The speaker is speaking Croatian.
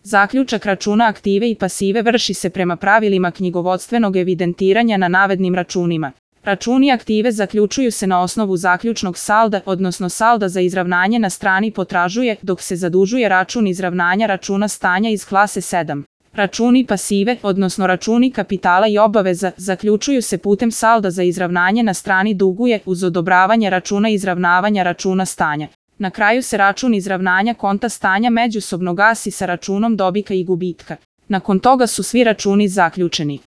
Zaključak računa aktive i pasive vrši se prema pravilima knjigovodstvenog evidentiranja na navednim računima. Računi aktive zaključuju se na osnovu zaključnog salda, odnosno salda za izravnanje na strani potražuje, dok se zadužuje račun izravnanja računa stanja iz klase 7. Računi pasive, odnosno računi kapitala i obaveza, zaključuju se putem salda za izravnanje na strani duguje uz odobravanje računa izravnavanja računa stanja. Na kraju se račun izravnanja konta stanja međusobno gasi sa računom dobika i gubitka. Nakon toga su svi računi zaključeni.